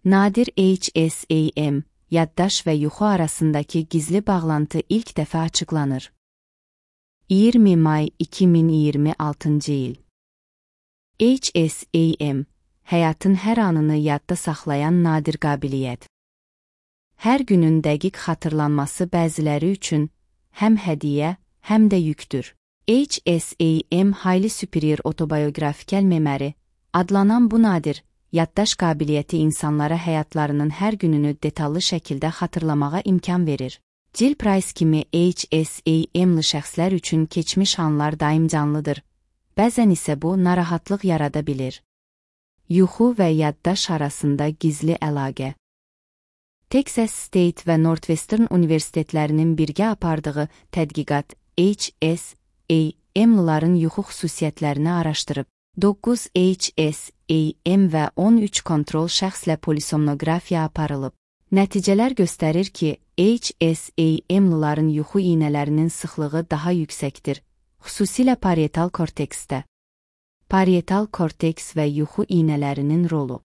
Nadir HSAM, yaddaş və yuxu arasındakı gizli bağlantı ilk dəfə açıqlanır. 20 may 2026 il. HSAM, həyatın hər anını yadda saxlayan nadir qabiliyyət. Hər günün dəqiq xatırlanması bəziləri üçün həm hədiyyə, həm də yükdür. HSAM Highly Superior Autobiographical Memory adlanan bu nadir, yaddaş qabiliyyəti insanlara həyatlarının hər gününü detallı şəkildə xatırlamağa imkan verir. Jill Price kimi HSAM-lı şəxslər üçün keçmiş anlar daim canlıdır, bəzən isə bu narahatlıq yarada bilir. Yuxu və yaddaş arasında gizli əlaqə. Texas State və Northwestern universitetlərinin birgə apardığı tədqiqat HSAM-lıların yuxu xüsusiyyətlərini araşdırıb. 9 HSAM və 13 kontrol şəxslə polisomnografiya aparılıb. Nəticələr göstərir ki, HSAM-lıların yuxu iynələrinin sıxlığı daha yüksəkdir, xüsusilə parietal korteksdə. Parietal korteks və yuxu iynələrinin rolu.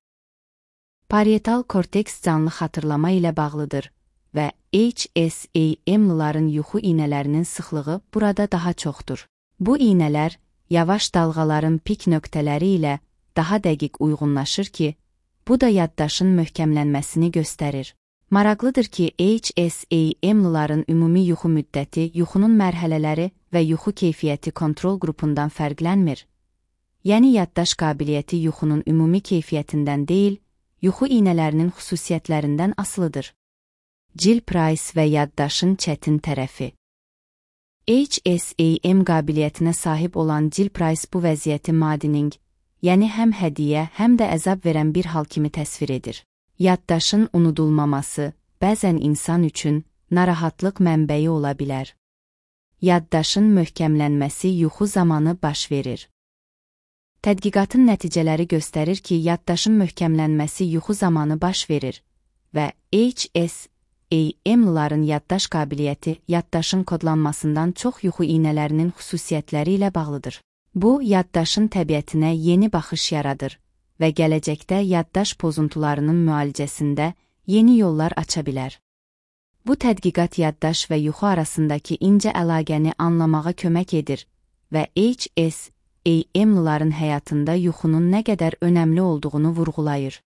Parietal korteks canlı xatırlama ilə bağlıdır və HSAM-lıların yuxu iynələrinin sıxlığı burada daha çoxdur. Bu iynələr yavaş dalğaların pik nöqtələri ilə daha dəqiq uyğunlaşır ki, bu da yaddaşın möhkəmlənməsini göstərir. Maraqlıdır ki, HSAM-lıların ümumi yuxu müddəti, yuxunun mərhələləri və yuxu keyfiyyəti kontrol qrupundan fərqlənmir. Yəni yaddaş qabiliyyəti yuxunun ümumi keyfiyyətindən deyil, yuxu iynələrinin xüsusiyyətlərindən asılıdır. Jill Price və yaddaşın çətin tərəfi. HSAM qabiliyyətinə sahib olan Jill Price bu vəziyyəti maddening, yəni həm hədiyyə, həm də əzab verən bir hal kimi təsvir edir. Yaddaşın unudulmaması bəzən insan üçün narahatlıq mənbəyi ola bilər. Yaddaşın möhkəmlənməsi yuxu zamanı baş verir. Tədqiqatın nəticələri göstərir ki, yaddaşın möhkəmlənməsi yuxu zamanı baş verir və HSAM-lıların yaddaş qabiliyyəti yaddaşın kodlanmasından çox yuxu iynələrinin xüsusiyyətləri ilə bağlıdır. Bu, yaddaşın təbiətinə yeni baxış yaradır və gələcəkdə yaddaş pozuntularının müalicəsində yeni yollar aça bilər. Bu tədqiqat yaddaş və yuxu arasındakı incə əlaqəni anlamağa kömək edir və HSAM-lıların həyatında yuxunun nə qədər önəmli olduğunu vurğulayır.